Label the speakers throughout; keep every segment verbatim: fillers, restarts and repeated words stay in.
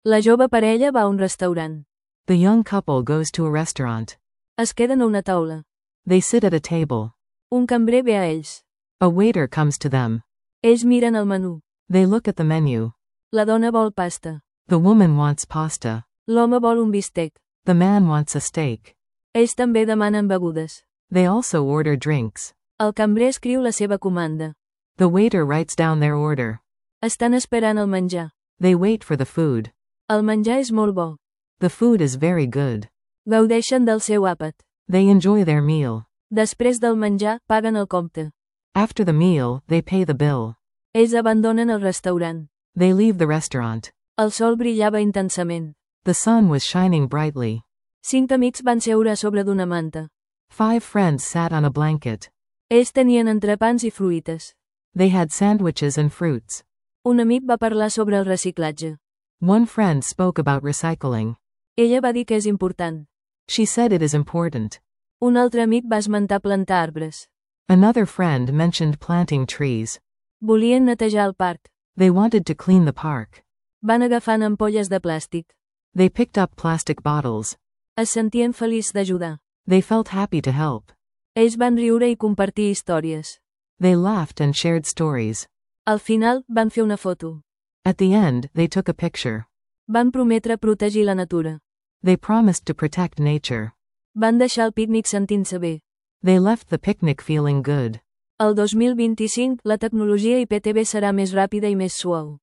Speaker 1: La jove parella va a un restaurant.
Speaker 2: The young couple goes to a restaurant.
Speaker 1: Es queden a una taula.
Speaker 2: They sit at a table.
Speaker 1: Un cambrer ve a ells.
Speaker 2: A waiter comes to them.
Speaker 1: Ells miren el menú.
Speaker 2: They look at the menu.
Speaker 1: La dona vol pasta.
Speaker 2: The woman wants pasta.
Speaker 1: L'home vol un bistec.
Speaker 2: The man wants a steak.
Speaker 1: Ells també demanen begudes.
Speaker 2: They also order drinks.
Speaker 1: El cambrer escriu la seva comanda.
Speaker 2: The waiter writes down their order.
Speaker 1: Estan esperant el menjar.
Speaker 2: They wait for the food.
Speaker 1: El menjar és molt bo.
Speaker 2: The food is very good.
Speaker 1: Gaudeixen del seu àpat.
Speaker 2: They enjoy their meal.
Speaker 1: Després del menjar, paguen el compte.
Speaker 2: After the meal, they pay the bill.
Speaker 1: Ells abandonen el restaurant.
Speaker 2: They leave the restaurant.
Speaker 1: El sol brillava intensament.
Speaker 2: The sun was shining brightly.
Speaker 1: Cinc amics van seure a sobre d'una manta.
Speaker 2: Five friends sat on a blanket.
Speaker 1: Ells tenien entrepans i fruites.
Speaker 2: They had sandwiches and fruits.
Speaker 1: Un amic va parlar sobre el reciclatge.
Speaker 2: One friend spoke about recycling.
Speaker 1: Ella va dir que és important.
Speaker 2: She said it is important.
Speaker 1: Un altre amic va esmentar plantar arbres.
Speaker 2: Another friend mentioned planting trees.
Speaker 1: Volien netejar el parc.
Speaker 2: They wanted to clean the park.
Speaker 1: Van agafant ampolles de plàstic.
Speaker 2: They picked up plastic bottles.
Speaker 1: Es sentien feliços d'ajudar.
Speaker 2: They felt happy to help.
Speaker 1: Ells van riure i compartir històries.
Speaker 2: They laughed and shared stories.
Speaker 1: Al final, van fer una foto.
Speaker 2: At the end, they took a picture.
Speaker 1: Van prometre protegir la natura.
Speaker 2: They promised to protect nature.
Speaker 1: Van deixar el pícnic sentint-se bé.
Speaker 2: They left the picnic feeling good.
Speaker 1: El dos mil vint-i-cinc, la tecnologia I P T V serà més ràpida i més suau.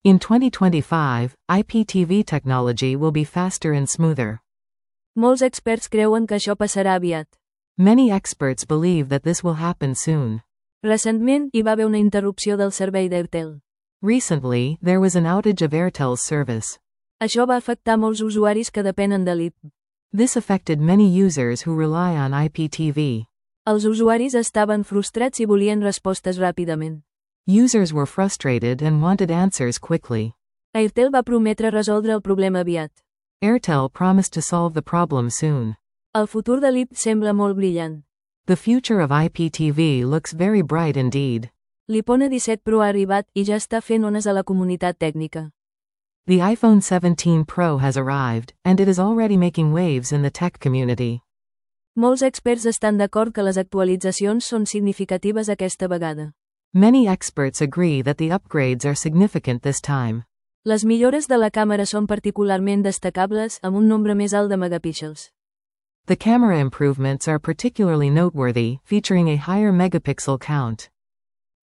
Speaker 2: In twenty twenty-five, I P T V technology will be faster and smoother.
Speaker 1: Molts experts creuen que això passarà aviat.
Speaker 2: Many experts believe that this will happen soon.
Speaker 1: Recentment, hi va haver una interrupció del servei d'Airtel.
Speaker 2: Recently, there was an outage of Airtel's service.
Speaker 1: Això va afectar molts usuaris que depenen de l'I P.
Speaker 2: This affected many users who rely on I P T V.
Speaker 1: Els usuaris estaven frustrats i volien respostes ràpidament.
Speaker 2: Users were frustrated and wanted answers quickly.
Speaker 1: Airtel va prometre resoldre el problema aviat.
Speaker 2: Airtel promised to solve the problem soon.
Speaker 1: El futur de l'I P sembla molt brillant.
Speaker 2: The future of I P T V looks very bright indeed.
Speaker 1: L'iPhone disset Pro ha arribat i ja està fent ones a la comunitat tècnica.
Speaker 2: The iPhone seventeen Pro has arrived, and it is already making waves in the tech community.
Speaker 1: Molts experts estan d'acord que les actualitzacions són significatives aquesta vegada.
Speaker 2: Many experts agree that the upgrades are significant this time.
Speaker 1: Les millores de la càmera són particularment destacables, amb un nombre més alt de megapíxels.
Speaker 2: The camera improvements are particularly noteworthy, featuring a higher megapixel count.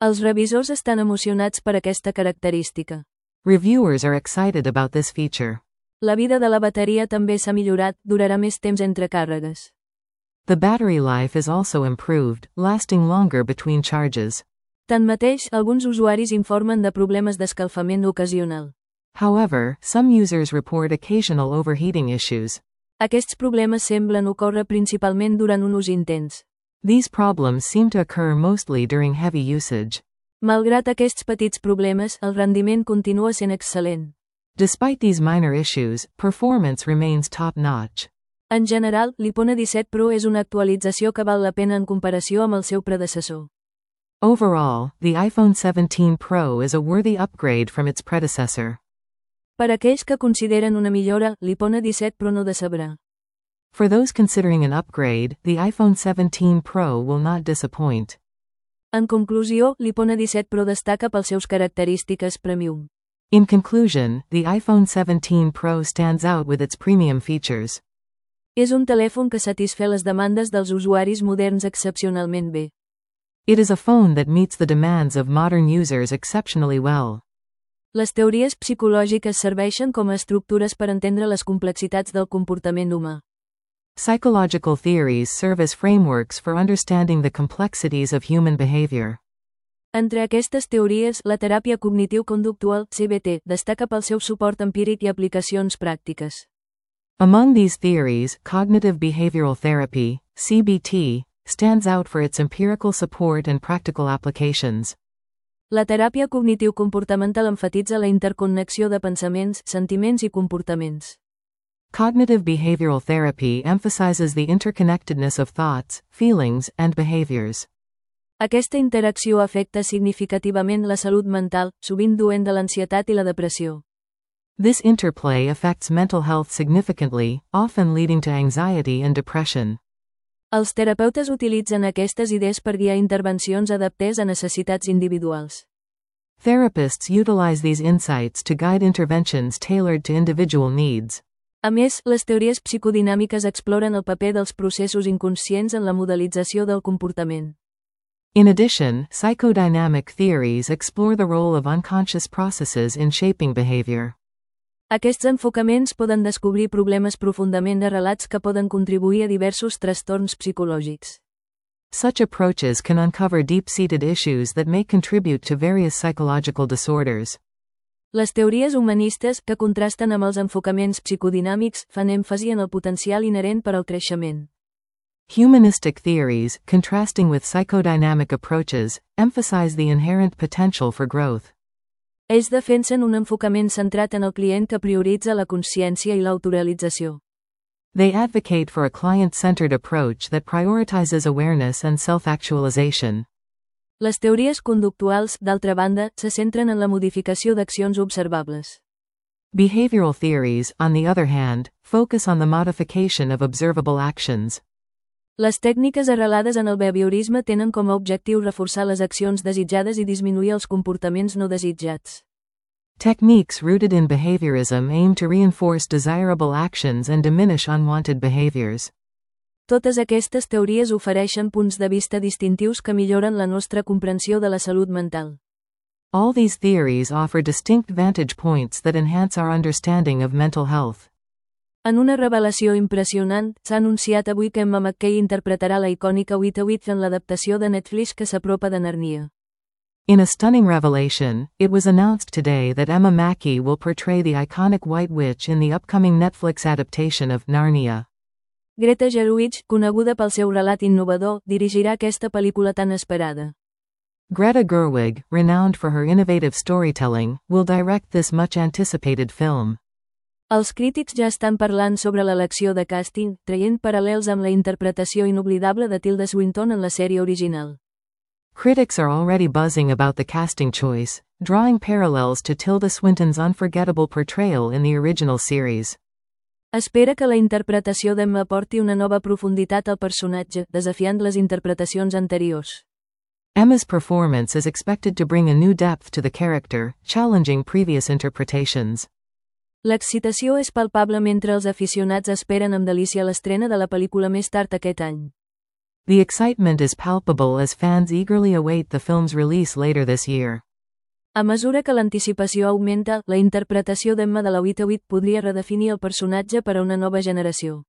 Speaker 1: Els revisors estan emocionats per aquesta característica.
Speaker 2: Reviewers are excited about this feature.
Speaker 1: La vida de la bateria també s'ha millorat, durarà més temps entre càrregues.
Speaker 2: The battery life is also improved, lasting longer between charges.
Speaker 1: Tanmateix, alguns usuaris informen de problemes d'escalfament ocasional.
Speaker 2: However, some users report occasional overheating issues.
Speaker 1: Aquests problemes semblen ocórrer principalment durant un ús intens.
Speaker 2: These problems seem to occur mostly during heavy usage.
Speaker 1: Malgrat aquests petits problemes, el rendiment continua sent excel·lent.
Speaker 2: Despite these minor issues, performance remains top-notch.
Speaker 1: En general, l'iPhone disset Pro és una actualització que val la pena en comparació amb el seu predecessor.
Speaker 2: Overall, the iPhone seventeen Pro is a worthy upgrade from its predecessor.
Speaker 1: Per aquells que consideren una millora, l'iPhone disset Pro no decebrà.
Speaker 2: For those considering an upgrade, the iPhone seventeen Pro will not disappoint.
Speaker 1: En conclusió, l'iPhone disset Pro destaca pels seus característiques premium.
Speaker 2: In conclusion, the iPhone seventeen Pro stands out with its premium features.
Speaker 1: És un telèfon que satisfé les demandes dels usuaris moderns excepcionalment bé.
Speaker 2: It is a phone that meets the demands of modern users exceptionally well.
Speaker 1: Les teories psicològiques serveixen com a estructures per entendre les complexitats del comportament humà.
Speaker 2: Psychological theories serve as frameworks for understanding the complexities of human behavior.
Speaker 1: Entre aquestes teories, la teràpia cognitiu-conductual, C B T, destaca pel seu suport empíric i aplicacions pràctiques.
Speaker 2: Among these theories, cognitive behavioral therapy, C B T, stands out for its empirical support and practical applications.
Speaker 1: La teràpia cognitiu-comportamental emfatitza la interconnexió de pensaments, sentiments i comportaments.
Speaker 2: Cognitive behavioral therapy emphasizes the interconnectedness of thoughts, feelings, and behaviors.
Speaker 1: Aquesta interacció afecta significativament la salut mental, sovint duent de l'ansietat i la depressió.
Speaker 2: This interplay affects mental health significantly, often leading to anxiety and depression.
Speaker 1: Els terapeutes utilitzen aquestes idees per guiar intervencions adaptades a necessitats individuals.
Speaker 2: Therapists utilize these insights to guide interventions tailored to individual needs.
Speaker 1: A més, les teories psicodinàmiques exploren el paper dels processos inconscients en la modelització del comportament.
Speaker 2: In addition, psychodynamic theories explore the role of unconscious processes in shaping behavior.
Speaker 1: Aquests enfocaments poden descobrir problemes profundament arrelats que poden contribuir a diversos trastorns psicològics.
Speaker 2: Such approaches can uncover deep-seated issues that may contribute to various psychological disorders.
Speaker 1: Les teories humanistes, que contrasten amb els enfocaments psicodinàmics, fan èmfasi en el potencial inherent per al creixement.
Speaker 2: Humanistic theories, contrasting with psychodynamic approaches, emphasize the inherent potential for growth.
Speaker 1: Ells defensen un enfocament centrat en el client que prioritza la consciència i l'autorealització.
Speaker 2: They advocate for a client-centered approach that prioritizes awareness and self-actualization.
Speaker 1: Les teories conductuals, d'altra banda, se centren en la modificació d'accions observables.
Speaker 2: Behavioral theories, on the other hand, focus on the modification of observable actions.
Speaker 1: Les tècniques arrelades en el behaviorisme tenen com a objectiu reforçar les accions desitjades i disminuir els comportaments no desitjats.
Speaker 2: Techniques rooted in behaviorism aim to reinforce desirable actions and diminish unwanted behaviors.
Speaker 1: Totes aquestes teories ofereixen punts de vista distintius que milloren la nostra comprensió de la salut mental.
Speaker 2: All these theories offer distinct vantage points that enhance our understanding of mental health.
Speaker 1: En una revelació impressionant, s'ha anunciat avui que Emma Mackey interpretarà la icònica Wita Wita en l'adaptació de Netflix que s'apropa de Narnia.
Speaker 2: In a stunning revelation, it was announced today that Emma Mackey will portray the iconic White Witch in the upcoming Netflix adaptation of Narnia.
Speaker 1: Greta Gerwig, coneguda pel seu relat innovador, dirigirà aquesta pel·lícula tan esperada.
Speaker 2: Greta Gerwig, renowned for her innovative storytelling, will direct this much-anticipated film.
Speaker 1: Els crítics ja estan parlant sobre l'elecció de càsting, traient paral·lels amb la interpretació inoblidable de Tilda Swinton en la sèrie original.
Speaker 2: Critics are already buzzing about the casting choice, drawing parallels to Tilda Swinton's unforgettable portrayal in the original series.
Speaker 1: Espera que la interpretació d'Emma aporti una nova profunditat al personatge, desafiant les interpretacions anteriors.
Speaker 2: Emma's performance is expected to bring a new depth to the character, challenging previous interpretations.
Speaker 1: L'excitació és palpable mentre els aficionats esperen amb delícia l'estrena de la pel·lícula més tard aquest any.
Speaker 2: The excitement is palpable as fans eagerly await the film's release later this year.
Speaker 1: A mesura que l'anticipació augmenta, la interpretació d'Emma de la Wita Wita podria redefinir el personatge per a una nova generació.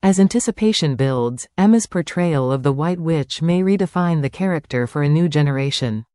Speaker 2: As anticipation builds, Emma's portrayal of the White Witch may redefine the character for a new generation.